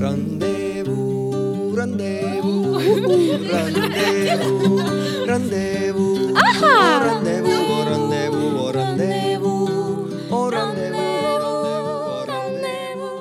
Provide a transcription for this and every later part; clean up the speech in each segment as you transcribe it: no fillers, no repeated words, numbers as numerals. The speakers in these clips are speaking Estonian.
Rendezvous, rendezvous, rendezvous, rendezvous, rendezvous, rendezvous, rendezvous, rendezvous.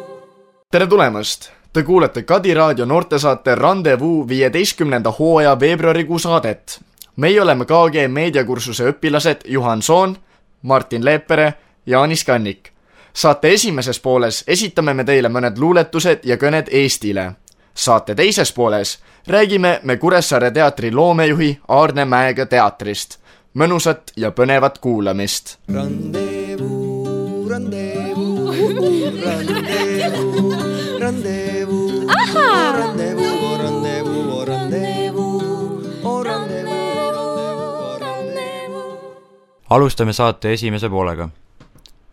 Tere tulemast! Te kuulete Kadi Raadio noortesaate Rendezvous 15. hooaja veebruarikuu saadet. Meie oleme KG meediakursuse õpilased Juhan Soon, Martin Leepere ja Anis Kannik. Saate esimeses pooles esitame me teile mõned luuletused ja kõned Eestile. Saate teises pooles räägime me Kuressaare teatri loomejuhi Aarne Mäega teatrist. Mõnusat ja põnevat kuulamist. Rendezvous, rendezvous, rendezvous, rendezvous, rendezvous, rendezvous, rendezvous, rendezvous. Alustame saate esimese poolega.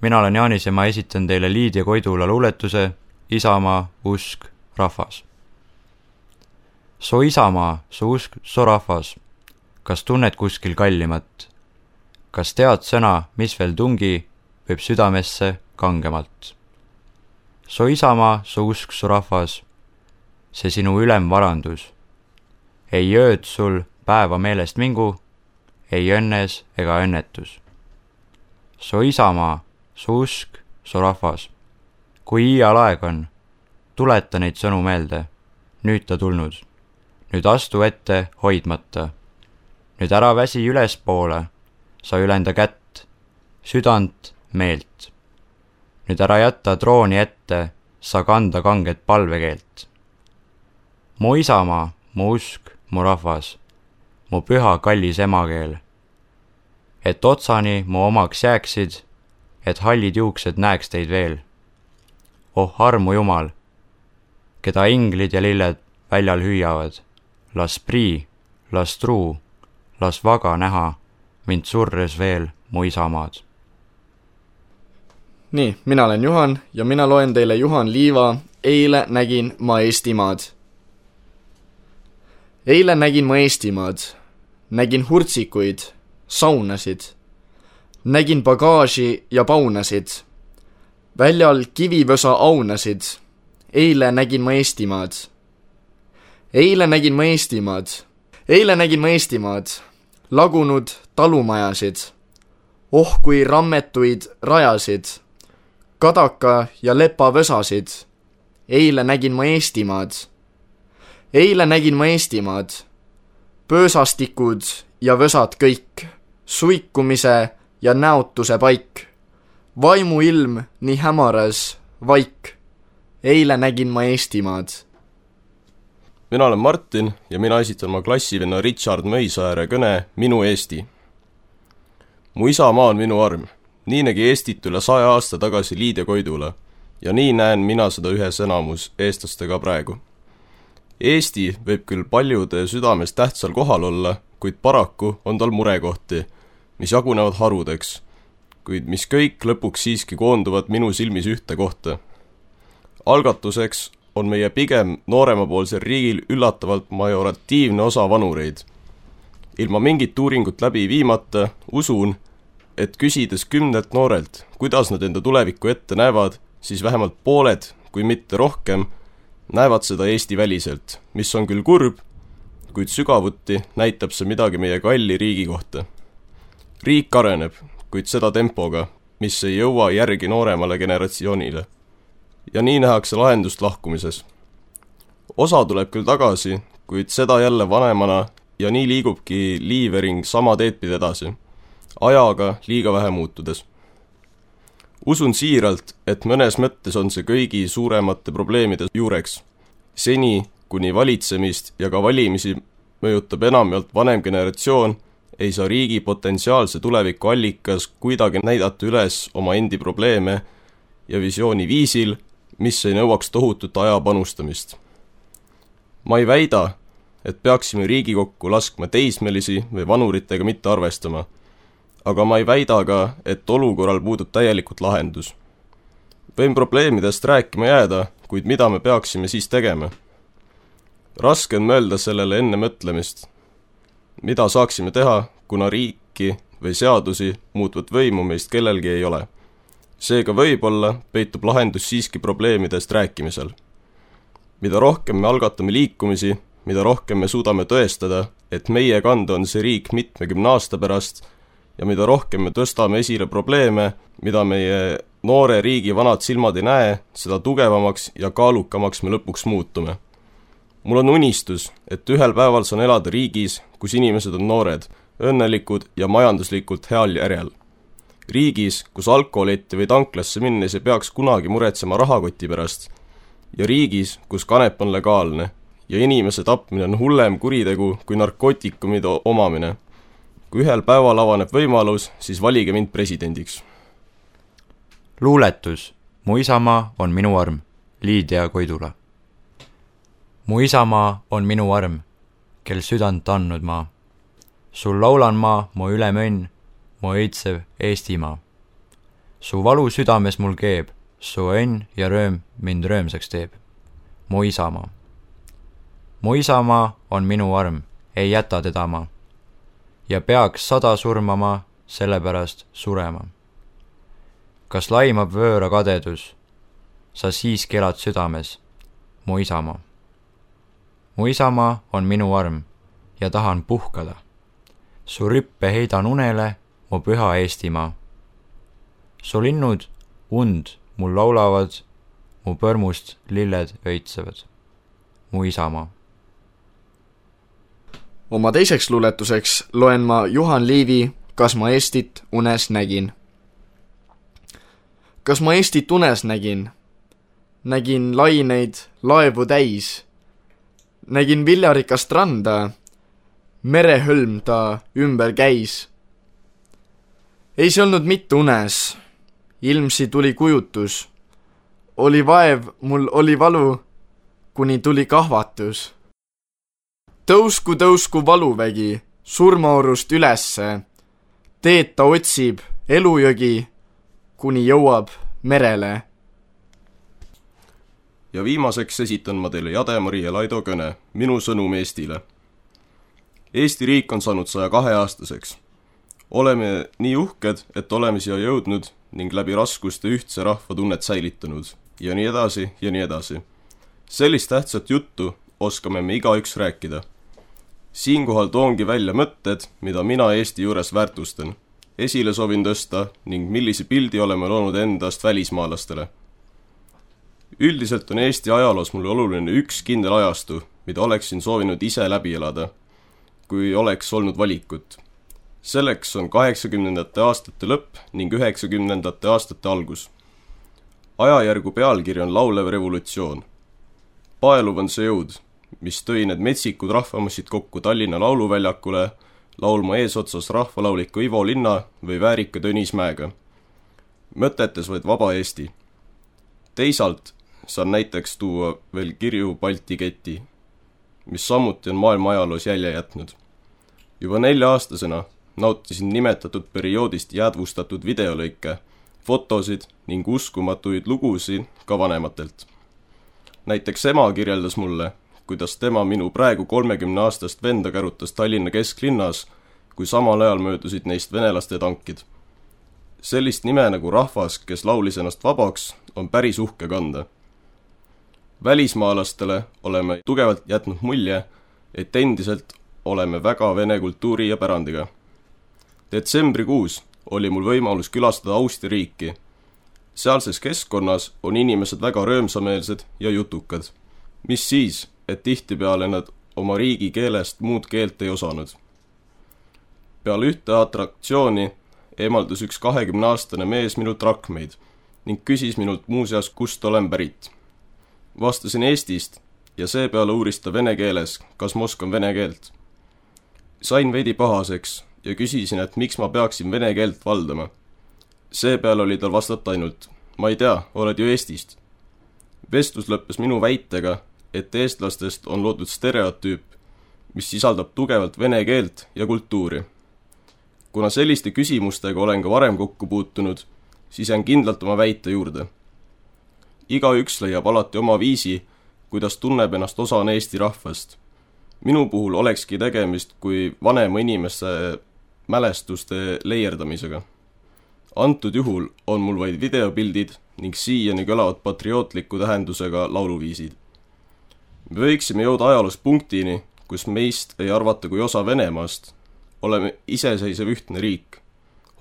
Mina olen Jaanis ja ma esitan teile Liidia Koidula luuletuse Isamaa, usk, rahvas. Su isamaa, su usk, su rahvas. Kas tunned kuskil kallimat? Kas tead sõna, mis veel tungi, võib südamesse kangemalt? Su isamaa, su usk, su rahvas. See sinu ülemvarandus. Ei ööd sul päeva meelest mingu, ei õnnes ega õnnetus. Su isamaa, su usk, su rahvas. Kui iial aeg on, tuleta neid sõnu meelde. Nüüd ta tulnud. Nüüd astu ette hoidmata. Nüüd ära väsi ülespoole, sa ülenda kätt, südant, meelt. Nüüd ära jätta trooni ette, sa kanda kanget palvekeelt. Mu isamaa, mu usk, mu rahvas, mu püha kallis emakeel. Et otsani mu omaks jääksid, et hallid juuksed näeks teid veel. Oh armu Jumal, keda inglid ja lilled väljal hüüavad, las prii, las truu, las vaga näha, mind surres veel mu isamaad. Nii, mina olen Juhan ja mina loen teile Juhan Liiva Eile nägin ma Eestimaad. Eile nägin ma Eestimaad, nägin hurtsikuid, saunasid, nägin bagaaži ja paunasid, väljal kivivõsa aunasid, eile nägin ma Eestimaad. Eile nägin ma Eestimaad, eile nägin ma Eestimaad, lagunud talumajasid, oh kui rammetuid rajasid, kadaka ja lepavõsasid, eile nägin ma Eestimaad. Eile nägin ma Eestimaad, pöösastikud ja võsad kõik, suikumise ja näotuse paik, vaimuilm nii hämaras vaik, eile nägin ma Eestimaad. Mina olen Martin ja mina esitan ma klassivenna Richard Mõisaare kõne Minu Eesti. Mu isamaa on minu arm, nii nägi Eestit üle 100 aasta tagasi Liidia Koidula ja nii näen mina seda ühes enamus eestlastega praegu. Eesti võib küll paljude südames tähtsal kohal olla, kuid paraku on tal murekohti, mis jagunevad harudeks, kuid mis kõik lõpuks siiski koonduvad minu silmis ühte kohta. Algatuseks on meie pigem nooremapoolsel riigil üllatavalt majoratiivne osa vanureid. Ilma mingit uuringut läbi viimata usun, et küsides 10 noorelt, kuidas nad enda tulevikku ette näevad, siis vähemalt pooled, kui mitte rohkem, näevad seda Eesti väliselt, mis on küll kurb, kuid sügavuti näitab see midagi meie kalli riigi kohta. Riik areneb, kuid seda tempoga, mis ei jõua järgi nooremale generatsioonile. Ja nii nähakse lahendust lahkumises. Osa tuleb küll tagasi, kuid seda jälle vanemana ja nii liigubki liivering sama teedpidi edasi, ajaga liiga vähe muutudes. Usun siiralt, et mõnes mõttes on see kõigi suuremate probleemide juureks. Seni, kuni valitsemist ja ka valimisi mõjutab enamjalt vanem generatsioon, ei saa riigi potentsiaalse tuleviku allikas kuidagi näidata üles oma endi probleeme ja visiooni viisil, mis ei nõuaks tohutut aja panustamist. Ma ei väida, et peaksime Riigikokku laskma teismelisi või vanuritega mitte arvestama, aga ma ei väida ka, et olukorral puudub täielikult lahendus. Võin probleemidest rääkima jääda, kuid mida me peaksime siis tegema? Raske on mõelda sellele enne mõtlemist. Mida saaksime teha, kuna riiki või seadusi muutvat võimu meist kellelgi ei ole? Seega võib-olla peitub lahendus siiski probleemidest rääkimisel. mida rohkem me algatame liikumisi, mida rohkem me suudame tõestada, et meie kanda on see riik 70 aasta pärast ja mida rohkem me tõstame esile probleeme, mida meie noore riigi vanad silmad ei näe, seda tugevamaks ja kaalukamaks me lõpuks muutume. Mul on unistus, et ühel päeval saan elada riigis, kus inimesed on noored, õnnelikud ja majanduslikult heal järjel. Riigis, kus alkoholetti või tanklasse minnes ei peaks kunagi muretsema rahakoti pärast. Ja riigis, kus kanep on legaalne ja inimese tapmine on hullem kuritegu kui narkootikumide omamine. Kui ühel päeval avaneb võimalus, siis valige mind presidendiks. Luuletus. Mu isamaa on minu arm. Liidia Koidula. Mu isamaa on minu arm, kel südant andnud maa. Sul laulan maa, mu ülemõnn, mu õitsev Eestimaa. Su valu südames mul keeb, su õnn ja rööm mind röömsaks teeb. Mu isamaa. Mu isamaa on minu arm, ei jäta teda ma. Ja peaks 100 surmama, sellepärast surema. Kas laimab vööra kadedus? Sa siiski elad südames, mu isamaa. Mu isamaa on minu arm ja tahan puhkada. Su rippe heidan unele, mu püha Eestimaa. Su linnud und mul laulavad, mu põrmust lilled öitsevad. Mu isamaa. Oma teiseks luuletuseks loen ma Juhan Liivi Kas ma Eestit unes nägin. Kas ma Eestit unes nägin? Nägin laineid laevu täis. Nägin viljarikast randa. Merehõlm ta ümber käis. Ei see olnud mitte unes. Ilmsi tuli kujutus. Oli vaev, mul oli valu, kuni tuli kahvatus. Tõusku valuvägi, surmaorust ülesse. Teed ta otsib elujõgi, kuni jõuab merele. Ja viimaseks esitan ma teile Jade-Mari ja Laido kõne, minu sõnum Eestile. Eesti riik on saanud 102-aastaseks. Oleme nii uhked, et oleme siia jõudnud ning läbi raskuste ühtse rahva tunnet säilitanud. Ja nii edasi ja nii edasi. Sellist tähtsat juttu oskame me igaüks rääkida. Siinkohal toongi välja mõtted, mida mina Eesti juures väärtustan. Esile soovin tõsta ning millise pildi oleme loonud endast välismaalastele. Üldiselt on Eesti ajaloos mul oluline üks kindel ajastu, mida oleksin soovinud ise läbi elada, kui oleks olnud valikut. Selleks on 80. aastate lõpp ning 90. aastate algus. Ajajärgu pealkiri on laulev revolutsioon. Paeluv on see jõud, mis tõi need metsikud rahvamassid kokku Tallinna lauluväljakule, laulma eesotsas rahvalauliku Ivo Linna või väärika Tõnis Mäega. Mõtetes vaid vaba Eesti. Teisalt saan näiteks tuua veel kirju Balti keti, mis samuti on maailma ajaloos jälje jätnud. Juba 4-aastasena nautisin nimetatud perioodist jäädvustatud videolõike, fotosid ning uskumatuid lugusid ka vanematelt. Näiteks ema kirjeldas mulle, kuidas tema minu praegu 30-aastast venda kärutas Tallinna kesklinnas, kui samal ajal möödusid neist venelaste tankid. Sellist nime nagu rahvas, kes laulis ennast vabaks, on päris uhke kanda. Välismaalastele oleme tugevalt jätnud mulje, et endiselt oleme väga vene kultuuri ja pärandiga. Detsembrikuus oli mul võimalus külastada Austria riiki. Sealses keskkonnas on inimesed väga röömsameelsed ja jutukad. Mis siis, et tihtipeale nad oma riigi keelest muud keelt ei osanud. Peale ühte atraktsiooni eemaldus üks 20-aastane mees minult rakmeid ning küsis minult muuseas, kust olen pärit. Vastasin Eestist ja seepeale uuris ta vene keeles, kas ma oskan vene keelt. Sain veidi pahaseks ja küsisin, et miks ma peaksin vene keelt valdama. Seepeale oli tal vastata ainult, ma ei tea, oled ju Eestist. Vestlus lõppes minu väitega, et eestlastest on loodud stereotüüp, mis sisaldab tugevalt vene keelt ja kultuuri. Kuna selliste küsimustega olen ka varem kokku puutunud, siis jään kindlalt oma väite juurde. Igaüks leiab alati oma viisi, kuidas tunneb ennast osana Eesti rahvast. Minu puhul olekski tegemist kui vanema inimese mälestuste leierdamisega. Antud juhul on mul vaid videopildid ning siiani kõlavad patriootliku tähendusega lauluviisid. Me võiksime jõuda ajaloos punktini, kus meist ei arvata kui osa Venemaast. Oleme iseseisev ühtne riik.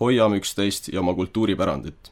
Hoiame üksteist ja oma kultuuripärandit.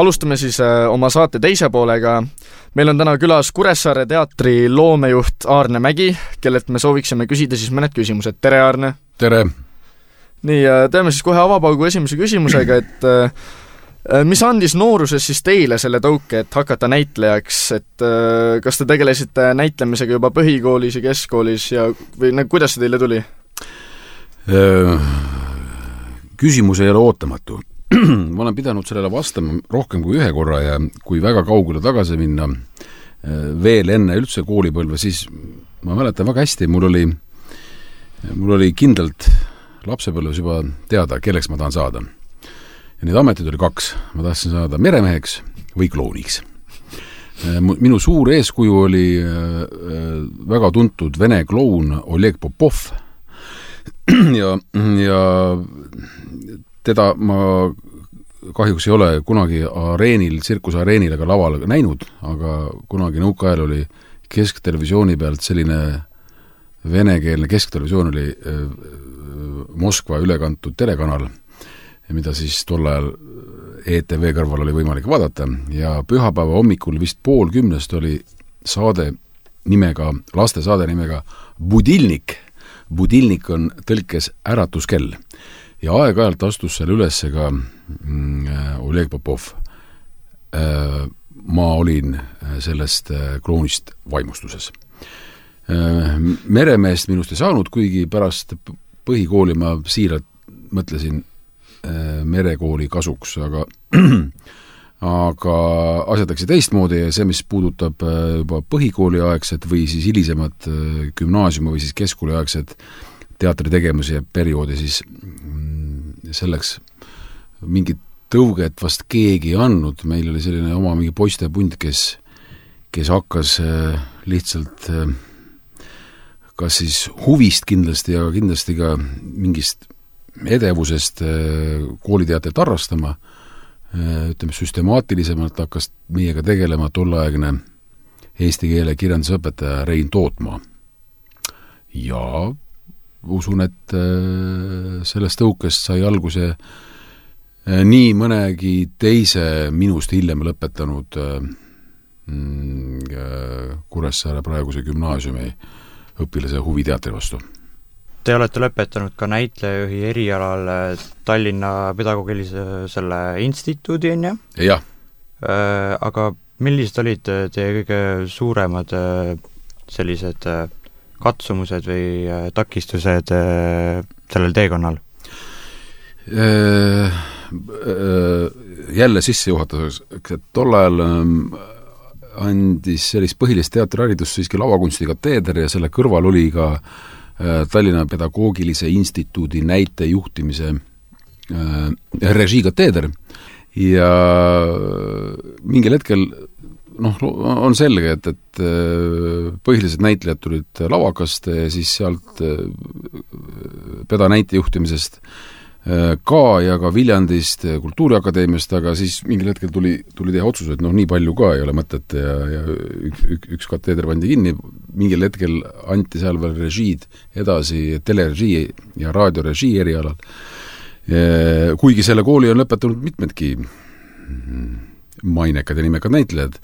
alustame siis oma saate teise poolega. Meil on täna külas Kuressaare teatri loomejuht Aarne Mägi, kellelt me sooviksime küsida siis mõned küsimused. Tere, Aarne! Tere! Nii, teeme siis kohe avapaugu esimese küsimusega, et mis andis nooruses siis teile selle tõuke, et hakata näitlejaks, et kas te tegelesite näitlemisega juba põhikoolis ja keskkoolis ja või kuidas see teile tuli? Küsimus ei ole ootamatu. Ma olen pidanud sellele vastama rohkem kui ühe korra ja kui väga kaugele tagasi minna veel enne üldse koolipõlve, siis ma mäletan väga hästi, mul oli kindlalt lapsepõlves juba teada, kelleks ma tahan saada. Ja neid ametid oli 2. Ma tahtsin saada meremeheks või klouniks. Minu suur eeskuju oli väga tuntud vene kloun Oleg Popov ja teda ma kahjuks ei ole kunagi tsirkusareenil ega laval näinud, aga kunagi nõukaajal oli kesktelevisiooni pealt selline venekeelne kesktelevisioon oli Moskva ülekantud telekanal, mida siis tol ajal ETV kõrval oli võimalik vaadata ja pühapäeva hommikul vist 9:30 oli lastesaade nimega Budilnik. Budilnik on tõlkes äratuskell. Ja aeg-ajalt astus seal üles ka Oleg Popov. Ma olin sellest kloonist vaimustuses. Meremeest minust ei saanud, kuigi pärast põhikooli ma siiralt mõtlesin merekooli kasuks, aga asjad läksid teistmoodi ja see, mis puudutab juba põhikooli aegset või siis hilisemat gümnaasiumi või siis keskkooli aegset teatritegemise perioodi, siis selleks mingit tõuget vast keegi ei andnud. Meil oli selline oma mingi poistepunt, kes hakkas lihtsalt kas siis huvist kindlasti, aga kindlasti ka mingist edevusest kooliteatrit harrastama. Ütleme, süstemaatilisemalt hakkas meiega tegelema tolleaegne eesti keele kirjandusõpetaja Rein Tootmaa. Ja usun, et sellest tõukest sai alguse nii mõnegi teise minust hiljem lõpetanud Kuressaare praeguse gümnaasiumi õpilase huvi teatri vastu. Te olete lõpetanud ka näitlejajuhi erialal Tallinna pedagoogilise selle instituudi, on ju? Jah. Aga millised olid teie kõige suuremad sellised katsumused või takistused sellel teekonnal? Jälle sissejuhatuseks, et tol ajal andis sellist põhilist teatriharidust siiski lavakunsti kateeder ja selle kõrval oli ka Tallinna pedagoogilise instituudi näitejuhtimise režiikateeder ja mingil hetkel on selge, et põhilised näitlejad tulid lavakast ja siis sealt peda näitejuhtimisest ka ja ka Viljandist Kultuuriakadeemiast, aga siis mingil hetkel tuli teha otsus, et nii palju ka ei ole mõtet ja üks kateeder pandi kinni, mingil hetkel anti seal veel režiid edasi telerežii ja raadiorežii erialal. Kuigi selle kooli on lõpetanud mitmedki mainekad ja nimekad näitlejad.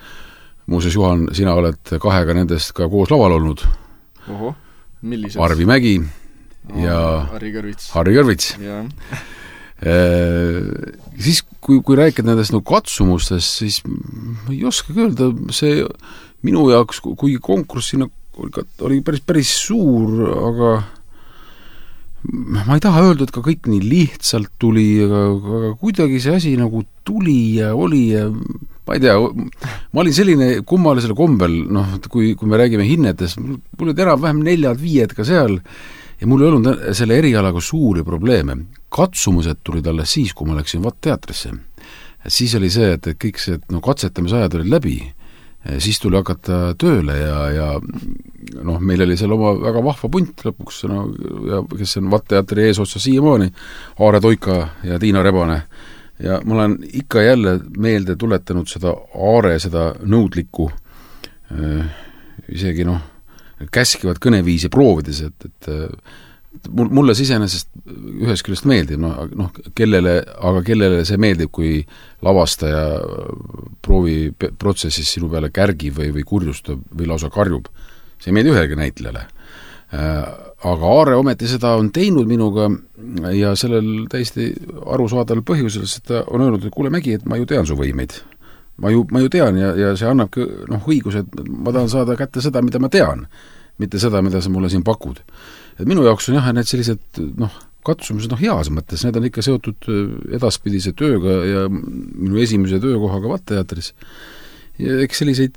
Muuseas, Juhan, sina oled 2 nendest ka koos laval olnud. Oho, millised? Arvi Mägi ja Harri Kõrvits. Siis, kui rääkida nendest katsumustest, siis ma ei oska öelda, see minu jaoks, kui konkurss sinna oli päris suur, aga ma ei taha öelda, et ka kõik nii lihtsalt tuli, aga kuidagi see asi tuli ja oli ja ma ei tea, ma olin selline kummalisel kombel, kui me räägime hinnetest, mul olid enam-vähem 4-5 ka seal ja mul ei olnud selle erialaga suuri probleeme. Katsumused tulid alles siis, kui ma läksin teatrisse. Siis oli see, et kõik see katsetamisajad olid läbi, siis tuli hakata tööle ja meil oli seal oma väga vahva punt lõpuks, ja kes on teatri eesotsa siiamaani, Aare Toika ja Tiina Rebane. Ja ma olen ikka jälle meelde tuletanud seda Aare, seda nõudlikku, isegi käskivat kõneviisi proovides, et mulle iseenesest ühest küljest meeldib, kellele see meeldib, kui lavastaja prooviprotsessis sinu peale kärgib või kurjustab või lausa karjub. See ei meeldi ühelegi näitlejale. Aga Aare ometi seda on teinud minuga ja sellel täiesti arusaadaval põhjusel, sest ta on öelnud, et kuule Mägi, et ma ju tean su võimeid. Ma ju tean ja see annabki õiguse, et ma tahan saada kätte seda, mida ma tean, mitte seda, mida sa mulle siin pakud. Et minu jaoks on need sellised katsumused heas mõttes, need on ikka seotud edaspidise tööga ja minu esimese töökohaga Vatteteatris. Ja eks selliseid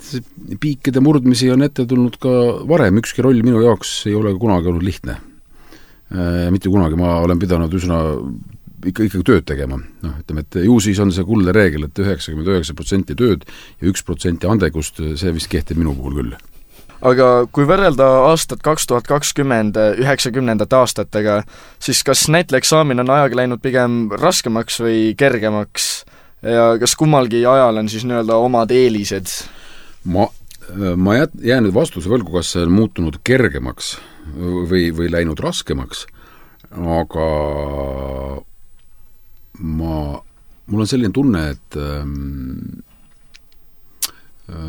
piikide murdmisi on ette tulnud ka varem, ükski roll minu jaoks ei ole kunagi olnud lihtne. Mitte kunagi, ma olen pidanud üsna ikkagi tööd tegema. Ütleme, et ju siis on see kuldne reegel, et 99% tööd ja 1% andegust, see vist kehtib minu puhul küll. Aga kui võrrelda aastat 2020 90. aastatega, siis kas näitlejaeksamin on ajaga läinud pigem raskemaks või kergemaks ja kas kummalgi ajal on siis omad eelised? Ma jään nüüd vastuse võlgu, kas see on muutunud kergemaks või läinud raskemaks, aga mul on selline tunne, et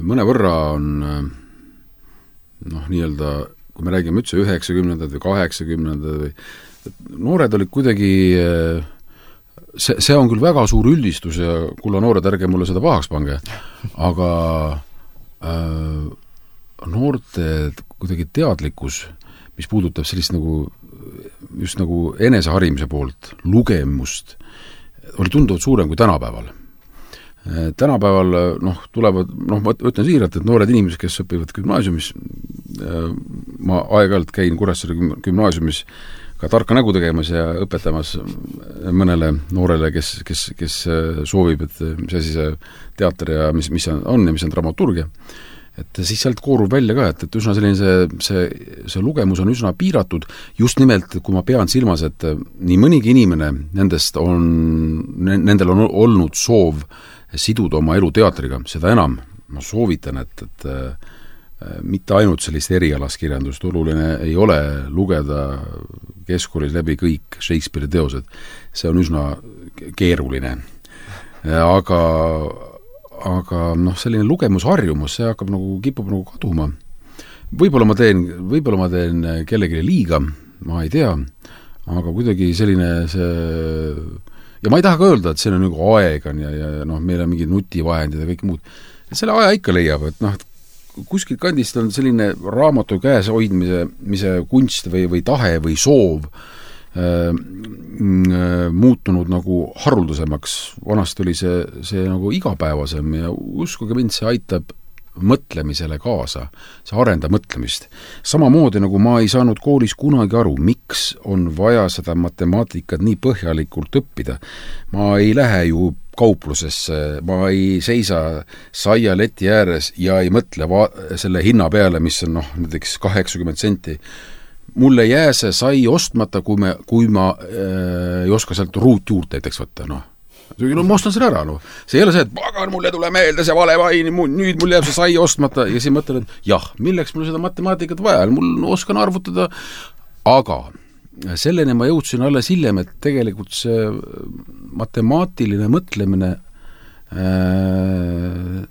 mõnevõrra on kui me räägime üldse 90. või 80. või noored olid kuidagi, see on küll väga suur üldistus ja kulla noored, ärge mulle seda pahaks pange, aga noorte kuidagi teadlikkus, mis puudutab sellist just eneseharimise poolt, lugemust, oli tunduvalt suurem kui tänapäeval. Tänapäeval tulevad, ma ütlen siiralt, et noored inimesed, kes õpivad gümnaasiumis, ma aeg-ajalt käin Kuressaare gümnaasiumis ka tarka nägu tegemas ja õpetamas mõnele noorele, kes soovib, et mis asi see teater ja mis on ja mis on dramaturgia. Et siis sealt koorub välja ka, et üsna selline see lugemus on üsna piiratud, just nimelt, kui ma pean silmas, et nii mõnigi inimene nendel on olnud soov siduda oma elu teatriga, seda enam ma soovitan, et mitte ainult sellist erialaskirjandust, oluline ei ole lugeda keskkoolis läbi kõik Shakespeare'i teosed, see on üsna keeruline. Aga selline lugemusharjumus, see hakkab kipub kaduma. Võib-olla ma teen kellelegi liiga, ma ei tea, aga kuidagi selline see. Ja ma ei taha ka öelda, et see on aeg on ja meil on mingid nutivahendid ja kõik muud. Selle aja ikka leiab, et kuskil kandist on selline raamatu käes hoidmise kunst või tahe või soov muutunud haruldasemaks. Vanasti oli see igapäevasem ja uskuge mind, see aitab mõtlemisele kaasa, see arendab mõtlemist. Samamoodi ma ei saanud koolis kunagi aru, miks on vaja seda matemaatikat nii põhjalikult õppida. Ma ei lähe ju kauplusesse, ma ei seisa saialeti ääres ja ei mõtle selle hinna peale, mis on näiteks 80 senti. Mulle jää see sai ostmata, kui ma ei oska sealt ruut juurde näiteks võtta, ma ostan selle ära, See ei ole see, et pagan, mulle tule meelde see vale vain, nüüd mul jääb see sai ostmata ja siis mõtlen, et jah, milleks mul seda matemaatikat vaja, mul oskan arvutada, aga selleni ma jõudsin alles hiljem, et tegelikult see matemaatiline mõtlemine,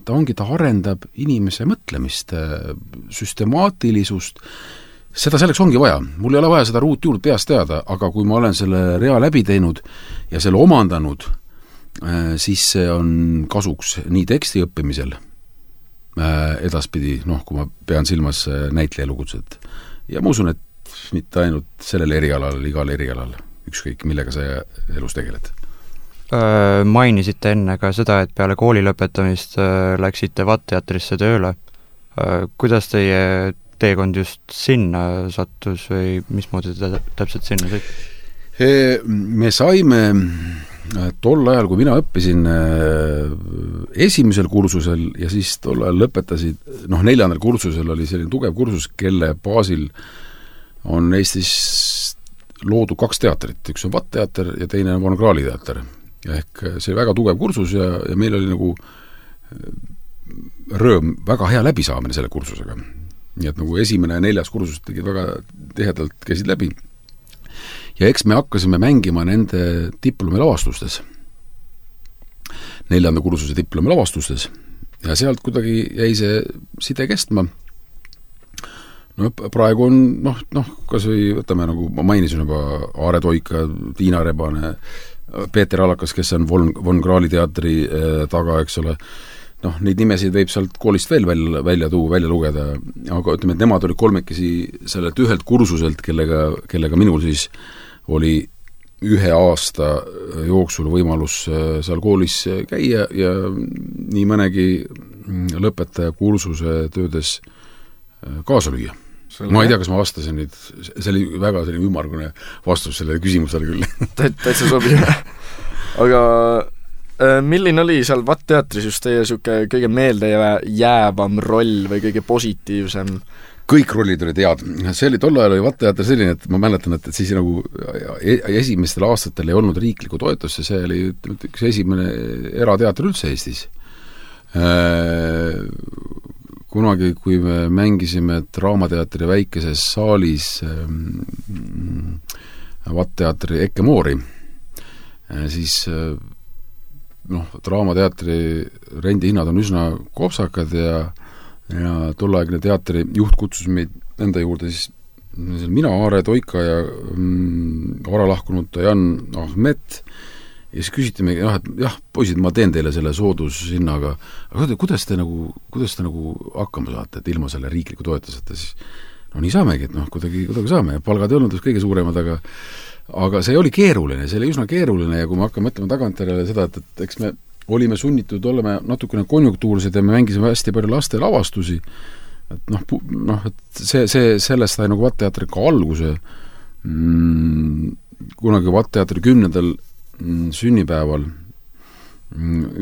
ta arendab inimese mõtlemist, süstemaatilisust, seda selleks ongi vaja. Mul ei ole vaja seda ruut juurde peast teada, aga kui ma olen selle rea läbi teinud ja selle omandanud, siis see on kasuks nii teksti õppimisel edaspidi, kui ma pean silmas näitlejalugudset. Ja ma usun, et mitte ainult sellel erialal, igal erialal, ükskõik millega sa elus tegeled. Mainisite enne ka seda, et peale kooli lõpetamist läksite Vatteteatrisse tööle. Kuidas teie teekond just sinna sattus või mismoodi te täpselt sinna sõit? Me saime tol ajal, kui mina õppisin esimesel kursusel ja siis tol ajal lõpetasid, 4. kursusel oli selline tugev kursus, kelle baasil on Eestis loodud 2 teatrit, üks on Vatteteater ja teine on Von-Krahli teater. Ehk see väga tugev kursus ja meil oli rõõm väga hea läbisaamine selle kursusega. Nii et esimene ja 4. kursus tegid väga tihedalt käisid läbi. ja eks me hakkasime mängima nende diplomilavastustes, 4. kursuse diplomilavastustes ja sealt kuidagi jäi see side kestma. No praegu on, kas või võtame, nagu ma mainisin juba, Aare Toika, Tiina Rebane, Peeter Alakas, kes on Von Krahli teatri taga, eks ole, neid nimesid võib sealt koolist veel välja lugeda, aga ütleme, et nemad olid kolmekesi sellelt ühelt kursuselt, kellega minul siis oli 1 aasta jooksul võimalus seal koolis käia ja nii mõnegi lõpetaja kursuse töödes kaasa lüüa. Ma ei tea, kas ma vastasin nüüd, see oli väga selline ümmargune vastus sellele küsimusele küll. Täitsa sobib. Aga milline oli seal VAT-teatris just teie siuke kõige meelde jäävam roll või kõige positiivsem? Kõik rollid olid head. See oli tol ajal oli VAT-teater selline, et ma mäletan, et siis nagu esimestel aastatel ei olnud riiklikku toetust ja see oli üks esimene erateater üldse Eestis. Kunagi, kui me mängisime Draamateatri väikeses saalis VAT-teatri Ikke Moori, siis Draamateatri rendihinnad on üsna kopsakad ja tolleaegne teatri juht kutsus meid enda juurde siis mina, Aare Toika ja vara lahkunud Jan Ahmet ja siis küsiti me, et jah, poisid, ma teen teile selle soodushinnaga, aga kuidas te nagu hakkama saate, et ilma selle riikliku toetuseta, siis nii saamegi, et kuidagi saame ja palgad ei olnud kõige suuremad, aga see oli keeruline, see oli üsna keeruline ja kui me hakkame mõtlema tagantjärele seda, et eks me olime sunnitud olema natukene konjunktuursed ja me mängisime hästi palju laste lavastusi, et et sellest sai nagu VAT-teatri ka alguse. Kunagi VAT-teatri 10. sünnipäeval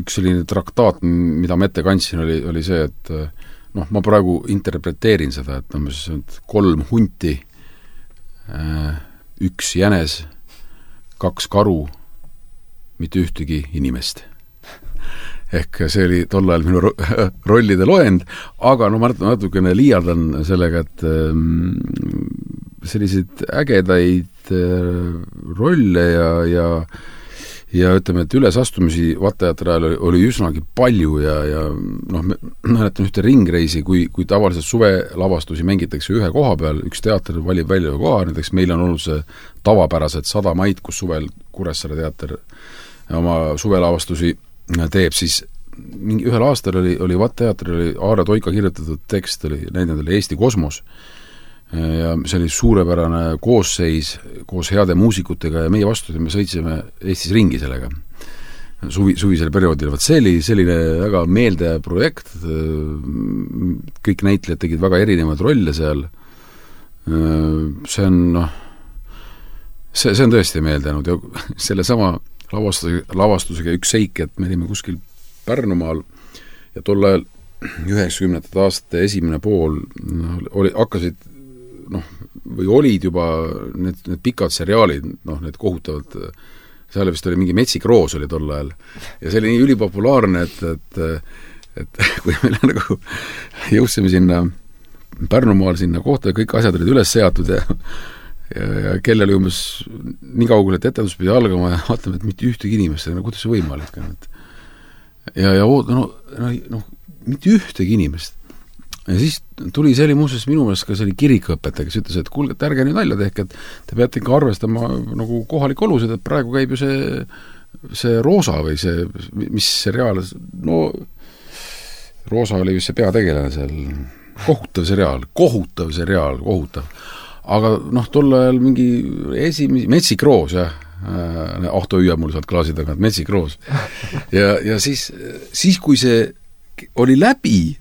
üks selline traktaat, mida ma ette kandsin, oli see, et ma praegu interpreteerin seda, et 3 hunti, 1 jänes, 2 karu, mitte ühtegi inimest. Ehk see oli tol ajal minu rollide loend, aga ma natukene liialdan sellega, et selliseid ägedaid rolle ja ütleme, et ülesastumisi VAT-teatri ajal oli üsnagi palju ja mäletan ühte ringreisi, kui tavaliselt suvelavastusi mängitakse ühe koha peal, üks teater valib välja koha, näiteks meil on olnud see tavapärased 100 maid, kus suvel Kuressaare teater oma suvelavastusi teeb, siis ühel aastal oli VAT-teatril oli Aare Toika kirjutatud tekst, oli näidanud Eesti kosmos ja see oli suurepärane koosseis koos heade muusikutega ja meie vastu me sõitsime Eestis ringi sellega suvisel perioodil. See oli selline väga meeldev projekt, kõik näitlejad tegid väga erinevaid rolle seal, see on tõesti meeldanud ja selle sama lavastusega üks seik, et me olime kuskil Pärnumaal ja tol ajal 90. aastate esimene pool hakkasid või olid juba need pikad seriaalid, need kohutavad, seal vist oli mingi Metsik Roos oli tol ajal ja see oli nii ülipopulaarne, et kui meil nagu jõudsime sinna Pärnumaal sinna kohta ja kõik asjad olid üles seatud ja kell oli umbes nii kaugel, et etendus pidi algama ja vaatame, et mitte ühtegi inimest, kuidas see võimalik on, mitte ühtegi inimest. Ja siis tuli see oli muuseas minu meelest ka see oli kirikuõpetaja, kes ütles, et kuulge, et ärge nüüd nalja tehke, et te peate ikka arvestama nagu kohalik olusid, et praegu käib ju see Roosa või see, mis seriaal, Roosa oli vist see peategelane seal, kohutav seriaal, aga tol ajal mingi Metsik Roos, jah, Ahto hüüab mul sealt klaasi tagant, Metsik Roos. Ja siis, kui see oli läbi,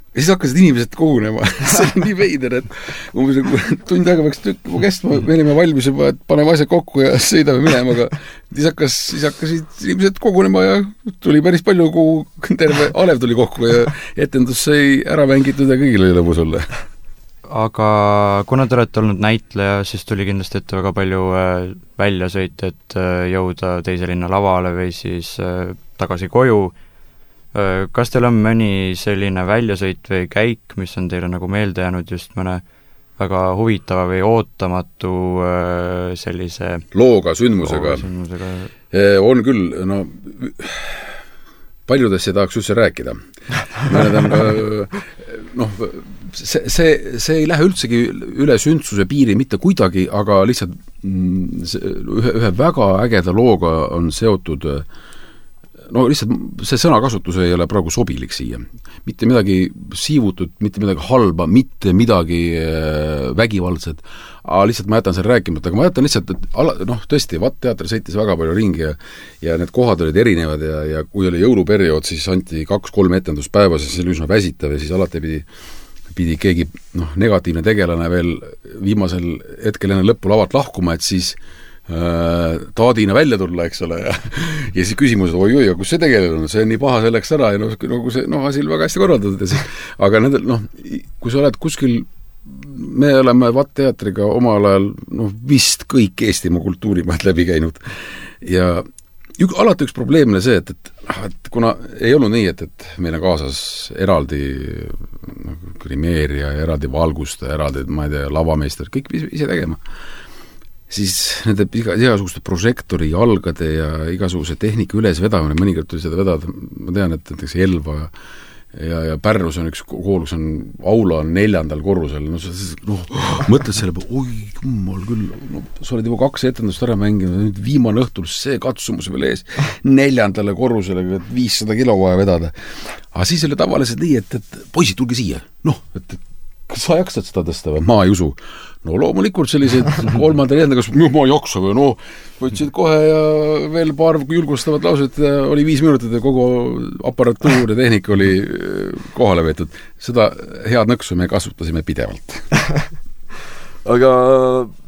ja siis hakkasid inimesed kogunema. See oli nii veider, et umbes tund aega peaks tükk kestma, me olime valmis juba, et paneme asjad kokku ja sõidame minema, aga siis hakkasid inimesed kogunema ja tuli päris palju, terve alev tuli kokku ja etendus sai ära mängitud ja kõigil oli lõbus olla. Aga kuna te olete olnud näitleja, siis tuli kindlasti ette väga palju väljasõite, et jõuda teise linna lavale või siis tagasi koju. Kas teil on mõni selline väljasõit või käik, mis on teile nagu meelde jäänud just mõne väga huvitava või ootamatu sellise looga, sündmusega. On küll, no paljudest ei tahaks üldse rääkida. See ei lähe üldsegi üle sündsuse piiri mitte kuidagi, aga lihtsalt ühe väga ägeda looga on seotud, no lihtsalt see sõnakasutus ei ole praegu sobilik siia. Mitte midagi siivutut, mitte midagi halba, mitte midagi vägivaldset, aga lihtsalt ma jätan selle rääkimata, aga ma jätan lihtsalt, et tõesti, teater sõitis väga palju ringi ja need kohad olid erinevad ja kui oli jõuluperiood, siis anti 2-3 etendust päevas ja see oli üsna väsitav ja siis alati pidi keegi negatiivne tegelane veel viimasel hetkel enne lõppu lavalt lahkuma, et siis taadina välja tulla, eks ole, ja siis küsimus, oi, kus see tegelane on, see on nii paha selleks ära ja kui see asi oli väga hästi korraldatud ja siis, aga nendel, kui sa oled kuskil, me oleme VAT-teatriga omal ajal, vist kõik Eestimaa kultuurimaad läbi käinud ja alati üks probleemne see, et kuna ei olnud nii, et meil on kaasas eraldi grimeerija, eraldi valgustaja, eraldi, ma ei tea, lavameister, kõik ise tegema, siis nende igasuguste prožektori jalgade ja igasuguse tehnika ülesvedamine, mõnikord tuli seda vedada, ma tean, et näiteks Elva ja Pärnus on üks kool, kus on aula 4. korrusel, mõtled selle peale, oi jummal küll, sa oled juba 2 etendust ära mänginud, nüüd viimane õhtul see katsumus veel ees 4. korrusele, 500 kilo vaja vedada. Aga siis oli tavaliselt nii, et poisid, tulge siia, et kas sa jaksad seda tõsta või? Ma ei usu. No loomulikult sellised 3. kas ma ei jaksa või võtsid kohe ja veel paar julgustavat lauset ja oli 5 minutit ja kogu aparatuur ja tehnika oli kohale veetud. Seda head nõksu me kasutasime pidevalt. Aga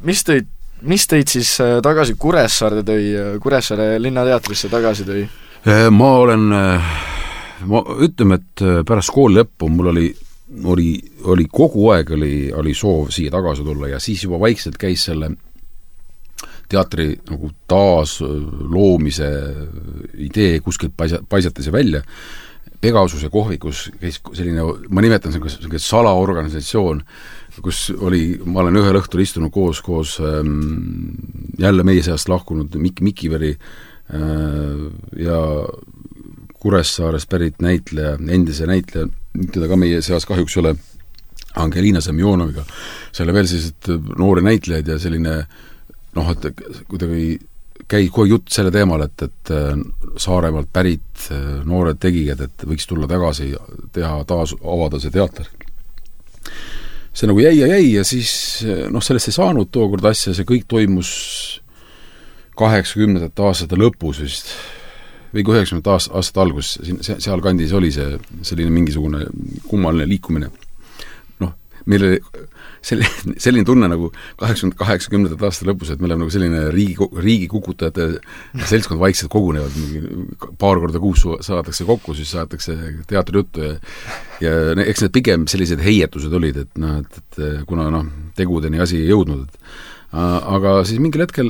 mis teid siis tagasi Kuressaarde tõi, Kuressaare linnateatrisse tagasi tõi? Ma ütleme, et pärast kooli lõppu mul oli kogu aeg oli soov siia tagasi tulla ja siis juba vaikselt käis selle teatri nagu taas loomise idee kuskilt paisati see välja. Pegasuse kohvikus käis selline, ma nimetan selline salaorganisatsioon, kus ma olen ühel õhtul istunud koos jälle meie seast lahkunud Mikiveri ja Kuressaarest pärit näitleja, endise näitleja, teda ka meie seas kahjuks ole, Angelina Semjonoviga, selle veel sellised noori näitlejaid ja selline, et kuidagi käib kohe jutt selle teemal, et Saaremaalt pärit noored tegijad, et võiks tulla tagasi teha, taas avada see teater. See nagu jäi ja siis sellest ei saanud tookord asja, see kõik toimus 80. aastate lõpus vist, või 90. aastate algus, seal kandis oli selline mingisugune kummaline liikumine. Meil oli selline tunne nagu 80. aastate lõpus, et me oleme nagu selline riigi kukutajate seltskond vaikselt kogunevad, paar korda kuus saadakse kokku, siis saadakse teatrijuttu ja eks need pigem sellised heietused olid, et kuna tegudeni asi ei jõudnud, aga siis mingil hetkel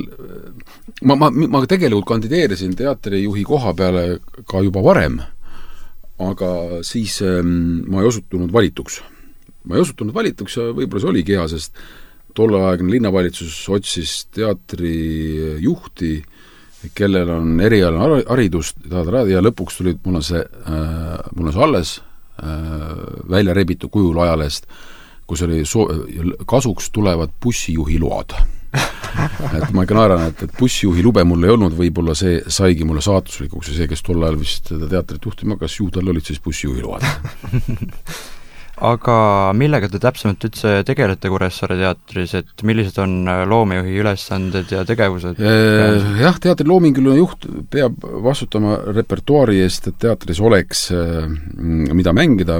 ma tegelikult kandideerisin teatrijuhi koha peale ka juba varem, aga siis ma ei osutunud valituks ja võib-olla see oligi hea, sest tolleaegne linnavalitsus otsis teatrijuhti, kellel on erialane haridus ja lõpuks tuli mul on see alles välja rebitud kujul ajalehest, kus oli kasuks tulevad bussijuhi load. Et ma ikka naeran, et bussijuhi lube mul ei olnud, võib-olla see saigi mulle saatuslikuks ja see, kes tol ajal vist teatrit juhtima, kas ju tal olid siis bussijuhi load. Aga millega te täpsemalt üldse tegelete Kuressaare teatris, et millised on loomejuhi ülesanded ja tegevused? Jah, teatri loominguline juht peab vastutama repertuaari eest, et teatris oleks mida mängida,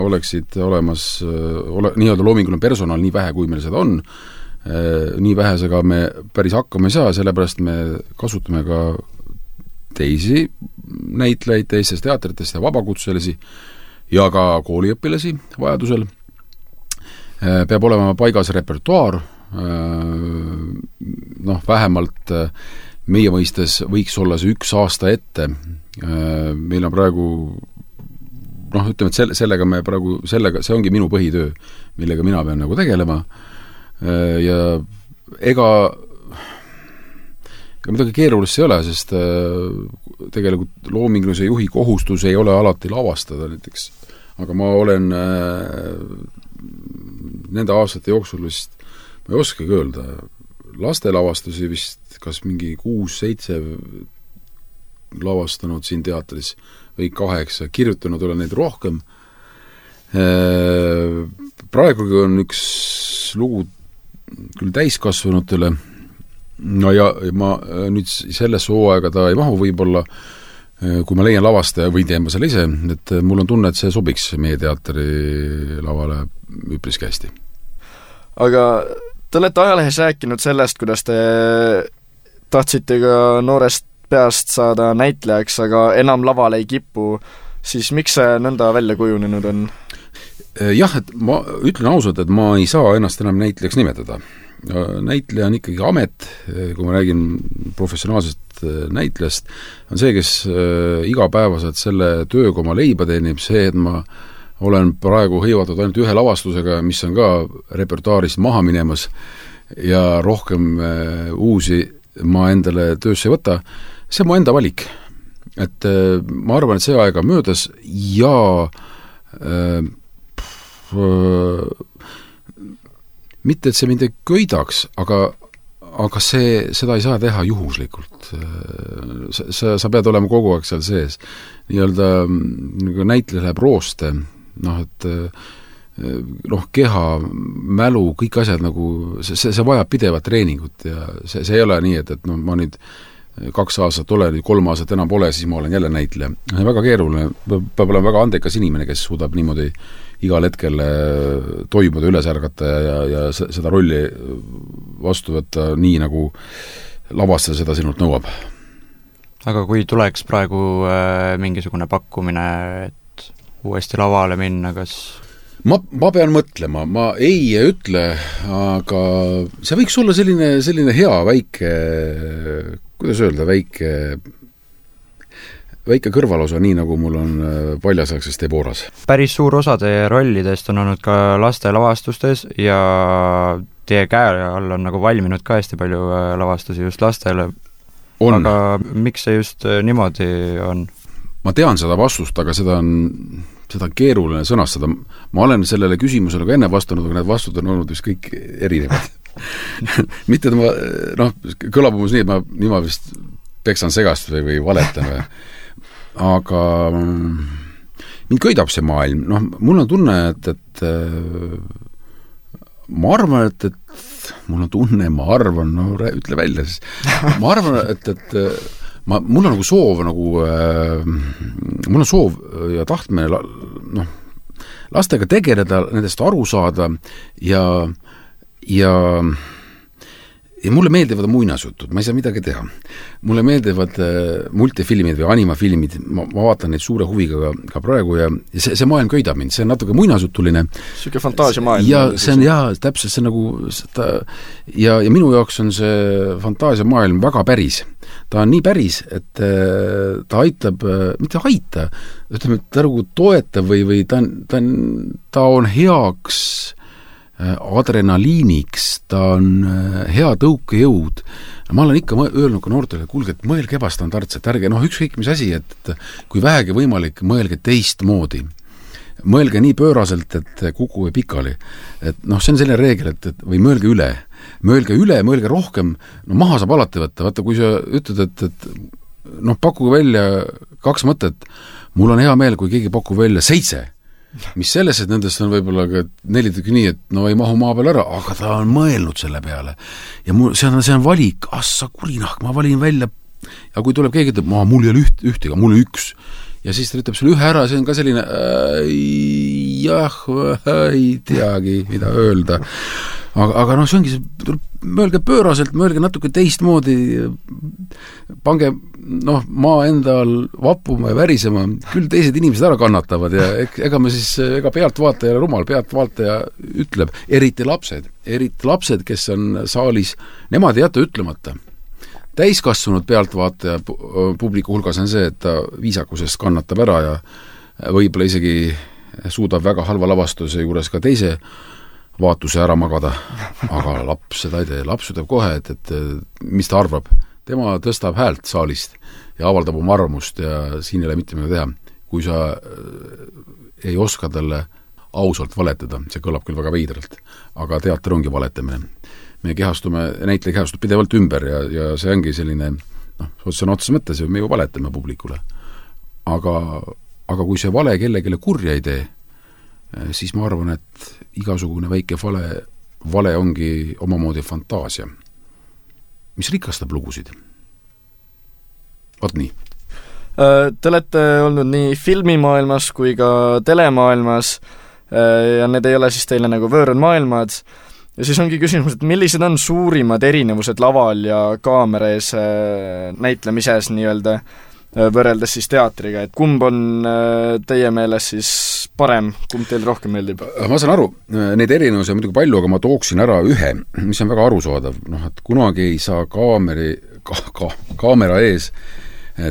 oleksid olemas nii-öelda loominguline personal, nii vähe kui meil seda on, nii vähesega me päris hakkama ei saa, sellepärast me kasutame ka teisi näitlejaid teistest teatritest ja vabakutselisi ja ka kooliõpilasi vajadusel. Peab olema paigas repertuaar, vähemalt meie mõistes võiks olla see 1 aasta ette. Meil on praegu, ütleme, et sellega see ongi minu põhitöö, millega mina pean nagu tegelema. ja ega midagi keerulist ei ole, sest tegelikult loomingulise juhi kohustus ei ole alati lavastada näiteks, aga ma olen nende aastate jooksul vist, ma ei oskagi öelda, lastelavastusi vist kas mingi 6-7 lavastanud siin teatris või 8, kirjutanud olen neid rohkem. Praegugi on üks lugu küll täiskasvanutele, no ja ma nüüd selles hooaega ta ei mahu võib-olla, kui ma leian lavastaja või teen ma selle ise, et mul on tunne, et see sobiks meie teatri lavale üpris hästi. Aga te olete ajalehes rääkinud sellest, kuidas te tahtsite ka noorest peast saada näitlejaks, aga enam lavale ei kipu, siis miks see nõnda välja kujunenud on? Jah, et ma ütlen ausalt, et ma ei saa ennast enam näitlejaks nimetada. Näitleja on ikkagi amet, kui ma räägin professionaalsest näitlejast, on see, kes igapäevaselt selle tööga oma leiba teenib, see, et ma olen praegu hõivatud ainult ühe lavastusega, mis on ka repertuaarist maha minemas ja rohkem uusi ma endale töösse ei võta, see on mu enda valik. Et ma arvan, et see aega möödas ja mitte, et see mind ei köidaks, aga seda ei saa teha juhuslikult. Sa pead olema kogu aeg seal sees. Nii-öelda nagu näitleja läheb rooste, et keha, mälu, kõik asjad nagu, see vajab pidevat treeningut ja see ei ole nii, et ma nüüd 2 aastat olen, 3 aastat enam pole, siis ma olen jälle näitleja. See on väga keeruline, peab olema väga andekas inimene, kes suudab niimoodi igal hetkel toimuda, üles ärgata ja seda rolli vastu võtta nii, nagu lavastaja seda sinult nõuab. Aga kui tuleks praegu mingisugune pakkumine, et uuesti lavale minna, kas... Ma pean mõtlema, ma ei ütle, aga see võiks olla selline hea väike, kuidas öelda, väike kõrvalosa, nii nagu mul on Paljasaksest Deboras. Päris suur osa teie rollidest on olnud ka laste lavastustes ja teie käe all on nagu valminud ka hästi palju lavastusi just lastele. On. Aga miks see just niimoodi on? Ma tean seda vastust, aga seda on keeruline sõnastada. Ma olen sellele küsimusele ka enne vastanud, aga need vastud on olnud vist kõik erinevad. Mitte, et ma, kõlab umbes nii, et ma vist peksan segast või valetan. Aga mind köidab see maailm. Mul on tunne, et ma arvan, et mul on tunne, ma arvan, ütle välja siis. Ma arvan, et mul on nagu soov, mul on soov ja tahtmine lastega tegeleda, nendest aru saada ja mulle meeldivad muinasjutud, ma ei saa midagi teha. Mulle meeldivad multifilmid või animafilmid, ma vaatan neid suure huviga ka praegu ja see maailm köidab mind, see on natuke muinasjutuline. Siuke fantaasiamaailm. Ja see on täpselt see nagu ja minu jaoks on see fantaasiamaailm väga päris. Ta on nii päris, et ta aitab, mitte aita, ütleme, ta nagu toetab või ta on heaks adrenaliiniks, ta on hea tõukejõud. Ma olen ikka öelnud ka noortele, kuulge, et mõelge ebastandardselt, ärge, ükskõik mis asi, et kui vähegi võimalik, mõelge teistmoodi. Mõelge nii pööraselt, et kuku või pikali. Et see on selline reegel, või mõelge üle, mõelge rohkem, maha saab alati võtta. Vaata, kui sa ütled, et pakuge välja 2 mõtet, mul on hea meel, kui keegi pakub välja 7, mis selles, et nendest on võib-olla 4 tükki nii, et ei mahu maa peal ära, aga ta on mõelnud selle peale. Ja see on valik, sa kurinahk, ma valin välja, ja kui tuleb keegi, ütleb, mul ei ole ühtega, mul on 1. Ja siis ta ütleb sulle 1 ära, see on ka selline ei teagi, mida öelda. Aga see ongi see, mõelge pööraselt, mõelge natuke teistmoodi, pange maa endal vappuma ja värisema, küll teised inimesed ära kannatavad ja ega pealtvaataja rumal, pealtvaataja ütleb, eriti lapsed, kes on saalis, nemad ei jäta ütlemata. Täiskasvanud pealtvaataja publiku hulgas on see, et ta viisakusest kannatab ära ja võib-olla isegi suudab väga halva lavastuse juures ka teise vaatuse ära magada, aga laps seda ei tee. Laps ütleb kohe, et mis ta arvab. Tema tõstab häält saalist ja avaldab oma arvamust ja siin ei ole mitte midagi teha. Kui sa ei oska talle ausalt valetada, see kõlab küll väga veidralt, aga teater ongi valetamine. Me näitleja kehastub pidevalt ümber ja see ongi selline, see on otses mõttes, me ju valetame publikule. Aga kui see vale kellelegi kurja ei tee, siis ma arvan, et igasugune väike vale ongi omamoodi fantaasia, mis rikastab lugusid. Vaat nii. Te olete olnud nii filmimaailmas kui ka telemaailmas ja need ei ole siis teile nagu võõrad maailmad. Ja siis ongi küsimus, et millised on suurimad erinevused laval ja kaamera ees näitlemises nii-öelda võrreldes siis teatriga, et kumb on teie meeles siis parem, kumb teil rohkem meeldib? Ma saan aru, neid erinevusi on muidugi palju, aga ma tooksin ära ühe, mis on väga arusaadav, et kunagi ei saa kaamera ees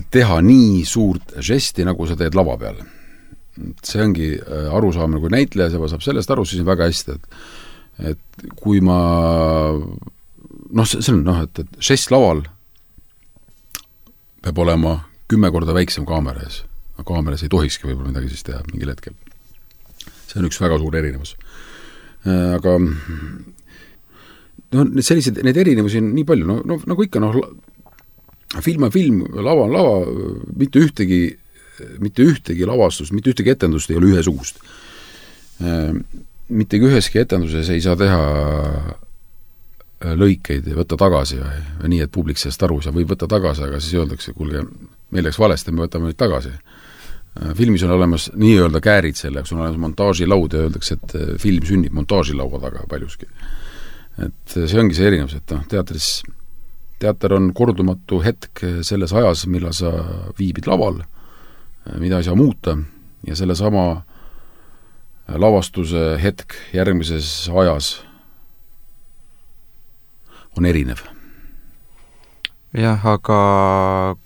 teha nii suurt žesti, nagu sa teed lava peal. See ongi arusaamine, kui näitleja saab sellest aru, siis on väga hästi, et kui ma see on, et žest laval peab olema 10 korda väiksem kaamera ees. Kaameras ei tohikski võib-olla midagi siis teha mingil hetkel. See on üks väga suur erinevus. Aga neid erinevusi on nii palju, nagu ikka, film on film, lava on lava, mitte ühtegi lavastust, mitte ühtegi etendust ei ole ühesugust. Mitte üheski etenduses ei saa teha lõikeid ja võtta tagasi või nii, et publik sellest aru saa, võib võtta tagasi, aga siis öeldakse, kuulge, meil läks valesti, me võtame nüüd tagasi. Filmis on olemas nii-öelda käärid selleks, on olemas montaažilaud ja öeldakse, et film sünnib montaažilaua taga paljuski. Et see ongi see erinevus, et teater on kordumatu hetk selles ajas, millal sa viibid laval, mida ei saa muuta ja selle sama lavastuse hetk järgmises ajas on erinev. Jah, aga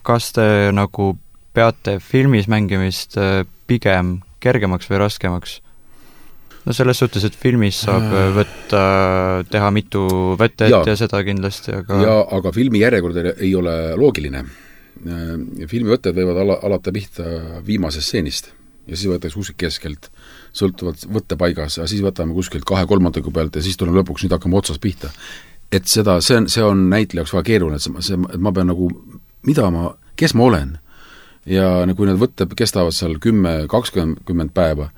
kas te nagu peate filmis mängimist pigem kergemaks või raskemaks? Selles suhtes, et filmis saab teha mitu võtet ja seda kindlasti, aga filmi järjekord ei ole loogiline. Filmi võtted võivad alata pihta viimasest stseenist ja siis võetakse kuskilt keskelt, sõltuvalt võttepaigas, ja siis võtame kuskilt 2/3 pealt ja siis tuleme lõpuks, nüüd hakkame otsast pihta. Et see on näitlejaks väga keeruline, et ma pean nagu, kes ma olen ja kui need võtted kestavad seal 10-20 päeva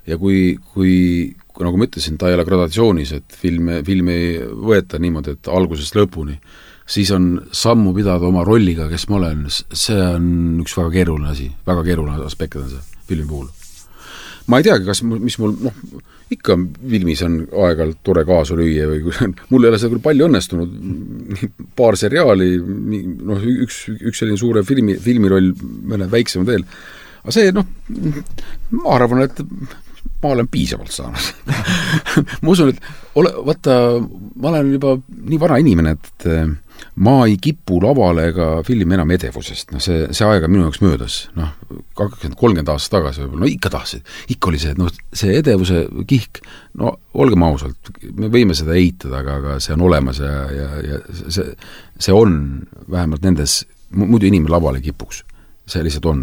ja kui nagu ma ütlesin, ta ei ole gradatsioonis, et filmi ei võeta niimoodi, et algusest lõpuni, siis on sammu pidada oma rolliga, kes ma olen, see on üks väga keeruline asi, väga keeruline aspekt on see filmi puhul. Ma ei teagi, mis mul, ikka filmis on aeg-ajalt tore kaasa lüüa või mul ei ole seda küll palju õnnestunud, paar seriaali, üks selline suure filmiroll, mõne väiksem veel, aga see, ma arvan, et ma olen piisavalt saanud. Ma usun, et ma olen juba nii vana inimene, et ma ei kipu lavale ega filmi enam edevusest. See aega minu jaoks möödas. 20-30 aastat tagasi võib-olla. Ikka tahtsid. Ikka oli see, see edevuse kihk, olgem ausalt, me võime seda eitada, aga see on olemas ja see on vähemalt nendes, muidu inimene lavale kipuks. See lihtsalt on.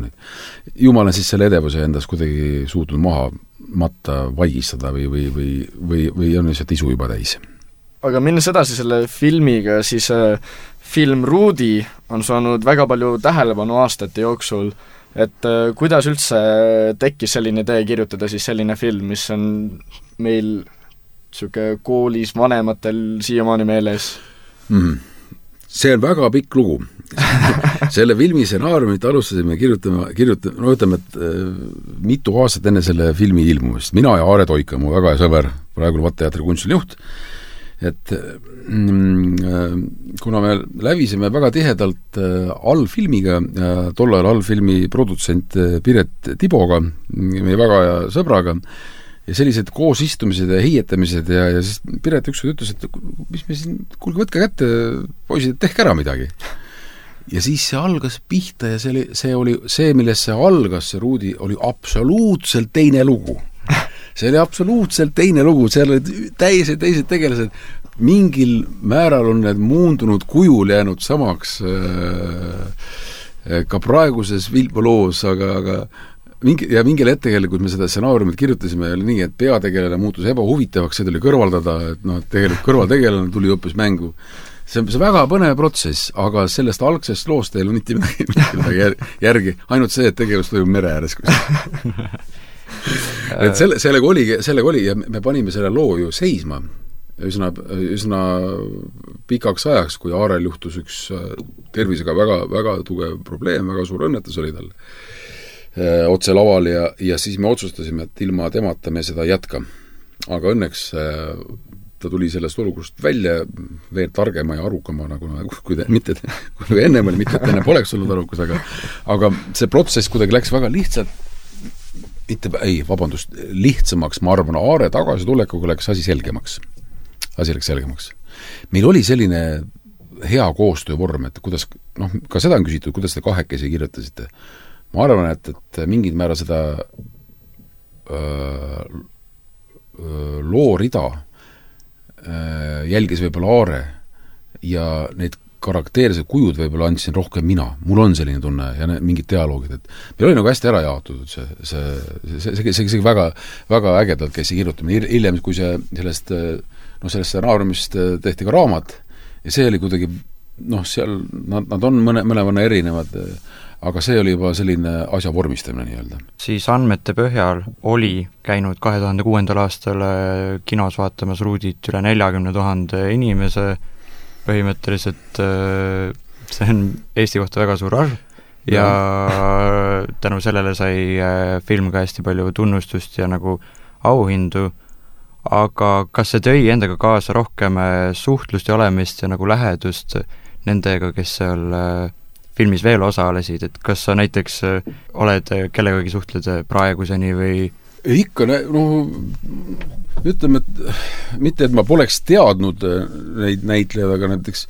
Jumal on siis selle edevuse endas kuidagi suutnud maha matta, vaigistada või on lihtsalt isu juba täis. Aga minnes edasi selle filmiga, siis film Ruudi on saanud väga palju tähelepanu aastate jooksul, et kuidas üldse tekkis selline idee kirjutada siis selline film, mis on meil koolis vanematel siiamaani meeles? See on väga pikk lugu. Selle filmi stsenaariumit alustasime kirjutama, ütleme, et mitu aastat enne selle filmi ilmumist. Mina ja Aare Toika, mu väga hea sõber, praegu Vatteatri kunstiline juht, et kuna me lävisime väga tihedalt allfilmiga, tollal allfilmi produtsent Piret Tiboga, meie väga hea sõbraga, ja sellised koosistumised ja hiietamised ja siis Piret ükskord ütles, et mis me siin, kuulge, võtke kätte, poisid, tehke ära midagi. Ja siis see algas pihta ja see oli see, millest see algas, see Ruudi, oli absoluutselt teine lugu. see oli absoluutselt teine lugu, seal olid teised tegelased, mingil määral on need muundunud kujul jäänud samaks ka praeguses Vilpoloos, aga mingil hetkel, kui me seda stsenaariumit kirjutasime, oli nii, et peategelane muutus ebahuvitavaks, see tuli kõrvaldada, et tegelikult kõrvaltegelane tuli hoopis mängu. See on väga põnev protsess, aga sellest algsest loost ei ole mitte midagi järgi, ainult see, et tegevus toimub mere ääres. Et sellega oli ja me panime selle loo ju seisma üsna pikaks ajaks, kui Aarel juhtus üks tervisega väga tugev probleem, väga suur õnnetus oli tal otse laval ja siis me otsustasime, et ilma temata me seda jätka. Aga õnneks ta tuli sellest olukorrast välja veel targema ja arukama, nagu kui ennem oli, mitte et enne poleks olnud arukas, aga see protsess kuidagi läks väga lihtsalt, lihtsamaks, ma arvan, Aare tagasitulekuga läks asi selgemaks. Meil oli selline hea koostöövorm, et kuidas, ka seda on küsitud, kuidas te kahekesi kirjutasite. Ma arvan, et mingid määra seda loorida jälgis võib-olla Aare ja neid karakteersed kujud võib-olla andsin rohkem mina. Mul on selline tunne ja mingid dialoogid, et meil oli nagu hästi ära jaotud see väga, väga ägedalt käis see kirjutamine. Hiljem, kui sellest stsenaariumist tehti ka raamat ja see oli kuidagi, seal nad on mõnevõnna erinevad, aga see oli juba selline asja vormistamine nii-öelda. Siis andmete põhjal oli käinud 2006. aastal kinos vaatamas Ruudit üle 40 000 inimese, põhimõtteliselt see on Eesti kohta väga suur arv ja tänu sellele sai film ka hästi palju tunnustust ja nagu auhindu, aga kas see tõi endaga kaasa rohkem suhtlust ja olemist ja nagu lähedust nendega, kes seal filmis veel osalesid, et kas sa näiteks oled kellegagi suhtled praeguseni või? Ikka, ütleme, et mitte, et ma poleks teadnud neid näitlejaid, aga näiteks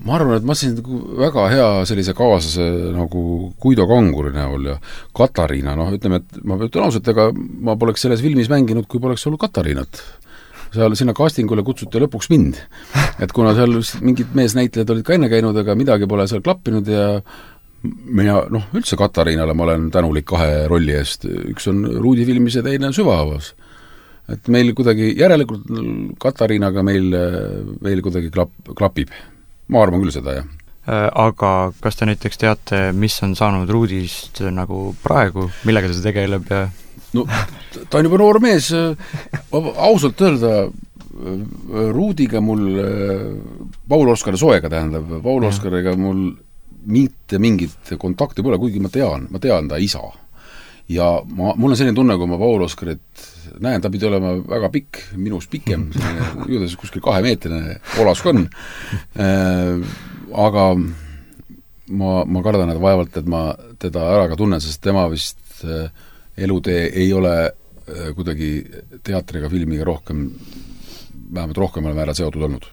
ma arvan, et ma sain väga hea sellise kaaslase nagu Guido Kanguri näol ja Katariina, ütleme, et ma ütlen ausalt, ega ma poleks selles filmis mänginud, kui poleks olnud Katariinat. Seal sinna castingule kutsuti lõpuks mind. Et kuna seal mingid meesnäitlejad olid ka enne käinud, aga midagi pole seal klappinud ja mina, üldse Katariinale ma olen tänulik 2 rolli eest. Üks on Ruudi filmis ja teine Süvahavas. Et meil kuidagi järelikult Katariinaga meil kuidagi klapib. Ma arvan küll seda, jah. Aga kas te näiteks teate, mis on saanud Ruudist nagu praegu, millega ta tegeleb ja ta on juba noor mees, ausalt öelda Ruudiga mul Paul Oskari Soega tähendab, Paul Oskariga mul mitte mingit kontakti pole, kuigi ma tean ta isa ja mul on selline tunne, kui ma Paul Oskarit näen, ta pidi olema väga pikk, minust pikem, juudes kuskil 2-meetrine olask on, aga ma kardan, et vaevalt, et ma teda ära ka tunnen, sest tema vist elutee ei ole kuidagi teatriga, filmiga vähemalt rohkemal määral seotud olnud.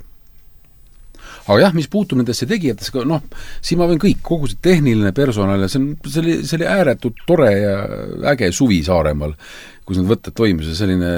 Aga jah, mis puutub nendesse tegijatesse, siin ma võin kõik, kogu see tehniline personal, see oli ääretult tore ja äge suvi Saaremaal, kus need võtted toimus ja selline,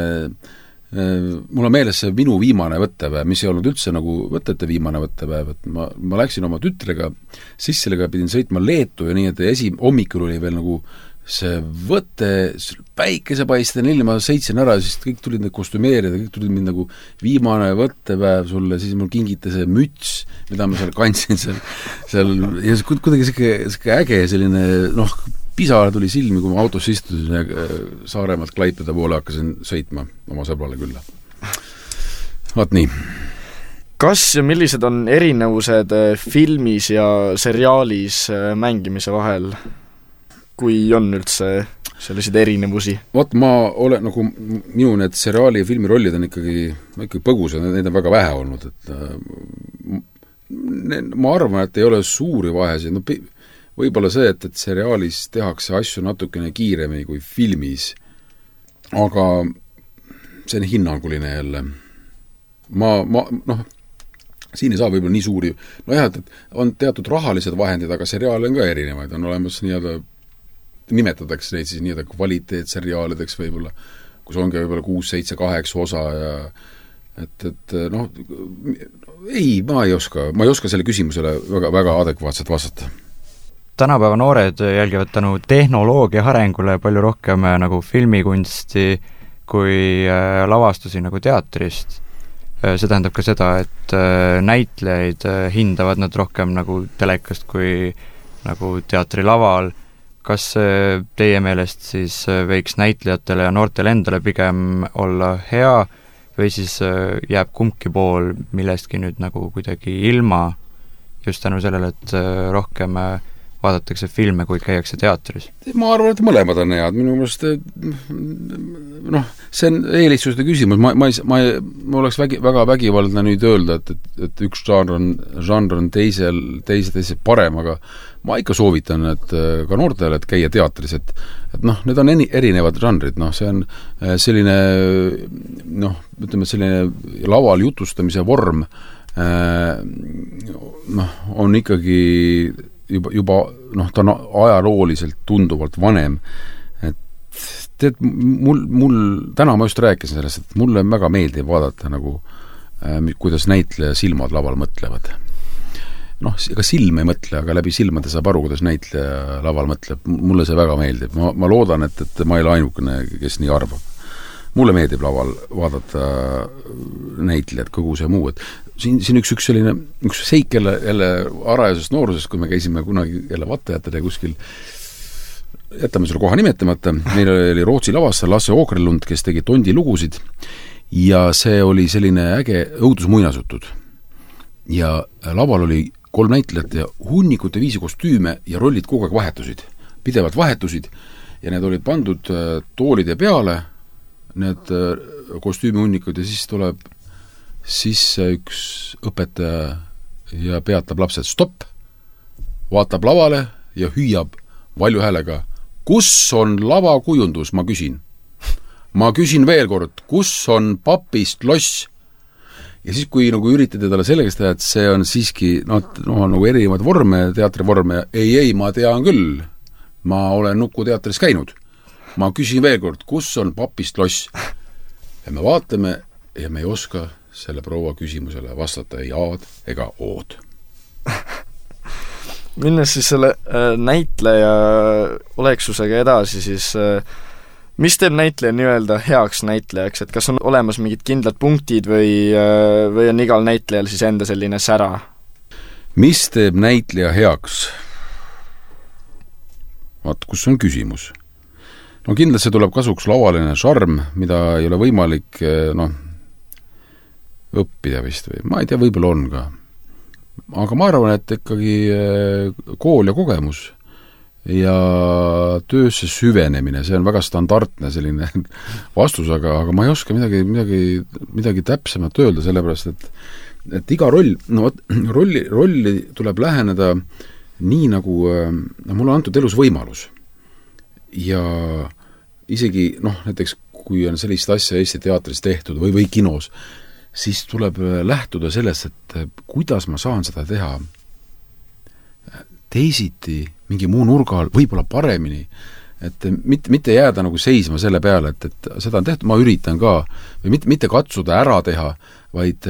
mul on meeles see minu viimane võttepäev, mis ei olnud üldse nagu võtete viimane võttepäev, et ma läksin oma tütrega, sisselega pidin sõitma Leetu ja nii, et hommikul oli veel nagu see võte, päikesepaisten ilma sõitsin ära, siis kõik tulid need kostümeerida, kõik tulid mind nagu viimane võttepäev sulle, siis mul kingiti see müts, mida ma seal kandsin seal ja kuidagi siuke äge selline, pisar tuli silmi, kui ma autosse istusin ja Saaremaalt Klaipeda poole hakkasin sõitma oma sõbrale külla. Vaat nii. Kas ja millised on erinevused filmis ja seriaalis mängimise vahel? Kui on üldse selliseid erinevusi? Vot ma olen, nagu minu need seriaali ja filmi rollid on ikkagi põgusad, neid on väga vähe olnud, et ma arvan, et ei ole suuri vahesid, võib-olla see, et seriaalis tehakse asju natukene kiiremini kui filmis, aga see on hinnanguline jälle. Siin ei saa võib-olla nii suuri, et on teatud rahalised vahendid, aga seriaale on ka erinevaid, on olemas nimetatakse neid siis nii-öelda kvaliteetseriaalideks võib-olla, kus ongi võib-olla 6, 7, 8 osa ja et noh, ei, ma ei oska selle küsimusele väga adekvaatselt vastata. Tänapäeva noored jälgivad tänu tehnoloogia arengule palju rohkem nagu filmikunsti kui lavastusi nagu teatrist. See tähendab ka seda, et näitlejaid hindavad nad rohkem nagu telekast kui nagu teatrilaval. Kas teie meelest siis võiks näitlejatele ja noortele endale pigem olla hea või siis jääb kumbki pool millestki nüüd nagu kuidagi ilma just tänu sellele, et rohkem vaadatakse filme, kui käiakse teatris? Ma arvan, et mõlemad on head. Minu meelest noh, see on eelistuste küsimus. Ma oleks väga vägivaldne nüüd öelda, et üks žanr on teise parem, aga ma ikka soovitan, et ka noortele, et käia teatris, et noh, need on erinevad žanrid, noh, see on selline noh, ütleme, selline laval jutustamise vorm noh, on ikkagi juba noh, ta on ajalooliselt tunduvalt vanem, et tead, mul täna ma just rääkisin sellest, et mulle väga meeldib vaadata nagu kuidas näitleja silmad laval mõtlevad. Noh, ega silm ei mõtle, aga läbi silmade saab aru, kuidas näitleja laval mõtleb. Mulle see väga meeldib. Ma loodan, et ma ei ole ainukene, kes nii arvab. Mulle meeldib laval vaadata näitlejad, kogu see muu, et siin üks selline, üks seik jälle arajasest noorusest, kui me käisime kunagi jälle Vattajatele kuskil, jätame selle koha nimetamata, meil oli Rootsi lavastaja Lasse Åkerlund, kes tegi Tondi lugusid ja see oli selline äge õudusmuinasutud. Ja laval oli 3 näitlejat ja hunnikute viisi kostüüme ja rollid kogu aeg vahetusid, pidevalt vahetusid ja need olid pandud toolide peale, need kostüümihunnikud ja siis tuleb sisse üks õpetaja ja peatab lapsed stopp, vaatab lavale ja hüüab valju häälega, kus on lavakujundus, ma küsin. Ma küsin veel kord, kus on papist loss? Ja siis, kui nagu üritada talle sellegast teha, et see on siiski nagu erinevad vorme, teatrivorme, ei, ma tean küll, ma olen Nukuteatris käinud. Ma küsin veel kord, kus on papist loss? Ja me vaatame ja me ei oska selle proua küsimusele vastata ei aad ega ood. Minnes siis selle näitleja oleksusega edasi, siis mis teeb näitleja nii-öelda heaks näitlejaks, et kas on olemas mingid kindlad punktid või on igal näitlejal siis enda selline sära? Mis teeb näitleja heaks? Vaat, kus on küsimus? No kindlasti tuleb kasuks lavaline šarm, mida ei ole võimalik õppida vist või ma ei tea, võib-olla on ka. Aga ma arvan, et ikkagi kool ja kogemus ja töösse süvenemine, see on väga standardne selline vastus, aga ma ei oska midagi täpsemat öelda, sellepärast, et iga roll, rolli tuleb läheneda nii nagu mul on antud elus võimalus. Ja isegi, näiteks kui on sellist asja Eesti teatris tehtud või kinos, siis tuleb lähtuda sellest, et kuidas ma saan seda teha teisiti, mingi muu nurga all, võib-olla paremini, et mitte jääda nagu seisma selle peale, et seda on tehtud, ma üritan ka, või mitte katsuda ära teha, vaid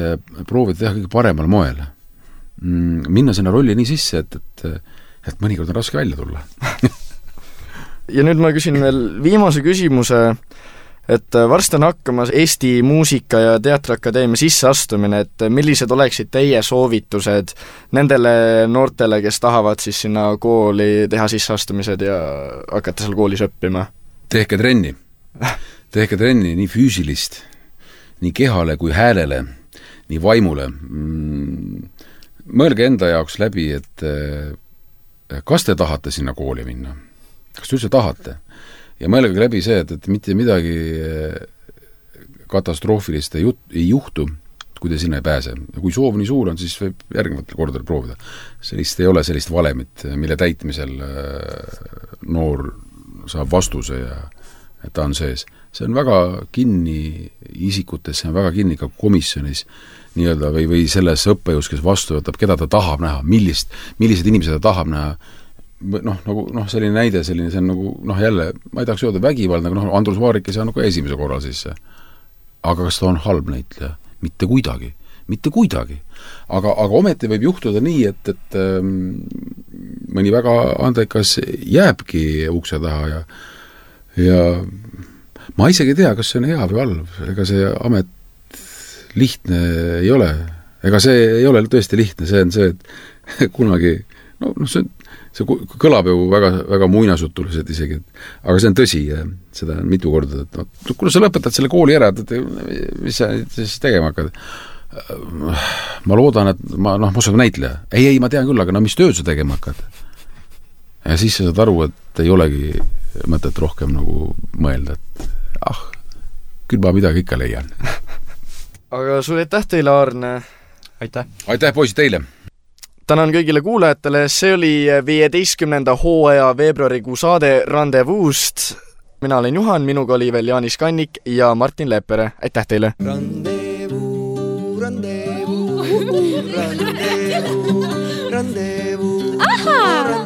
proovida teha kõige paremal moel. Minna sinna rolli nii sisse, et mõnikord on raske välja tulla. Ja nüüd ma küsin veel viimase küsimuse, et varsti on hakkamas Eesti Muusika- ja Teatriakadeemia sisseastumine, et millised oleksid teie soovitused nendele noortele, kes tahavad siis sinna kooli teha sisseastumised ja hakata seal koolis õppima? Tehke trenni. Tehke trenni nii füüsilist, nii kehale kui häälele, nii vaimule. Mõelge enda jaoks läbi, et kas te tahate sinna kooli minna? Kas te üldse tahate? Ja mõelge läbi see, et mitte midagi katastroofilist ei juhtu, kui te sinna ei pääse. Ja kui soov nii suur on, siis võib järgnevatel kordadel proovida. Sellist ei ole sellist valemit, mille täitmisel noor saab vastuse ja et ta on sees. See on väga kinni isikutes, see on väga kinni ka komisjonis nii-öelda või selles õppejõus, kes vastu võtab, keda ta tahab näha, millised inimesed ta tahab näha, selline näide, see on nagu, jälle, ma ei tahaks öelda vägivald, aga Andrus Vaarik ei saa nagu esimese korral sisse. Aga kas ta on halb näitleja? Mitte kuidagi. Aga ometi võib juhtuda nii, et mõni väga andekas jääbki ukse taha ja ma isegi ei tea, kas see on hea või halb. Ega see amet lihtne ei ole. Ega see ei ole tõesti lihtne, see on see, et kunagi, see kõlab ju väga, väga muinasutuliselt isegi, aga see on tõsi, seda on mitu korda, et kuna sa lõpetad selle kooli ära, et mis sa siis tegema hakkad? Ma loodan, et ma oskan näitleja. Ei, ma tean küll, aga mis tööd sa tegema hakkad? Ja siis sa saad aru, et ei olegi mõtet rohkem nagu mõelda, et küll ma midagi ikka leian. Aga sulle aitäh teile, Aarne! Aitäh, poisid, teile! Tänan kõigile kuulajatele, see oli 15. hooaja veebruarikuu saade Randevuust. Mina olen Juhan, minuga oli veel Jaanis Kannik ja Martin Leppere. Aitäh teile! Aha!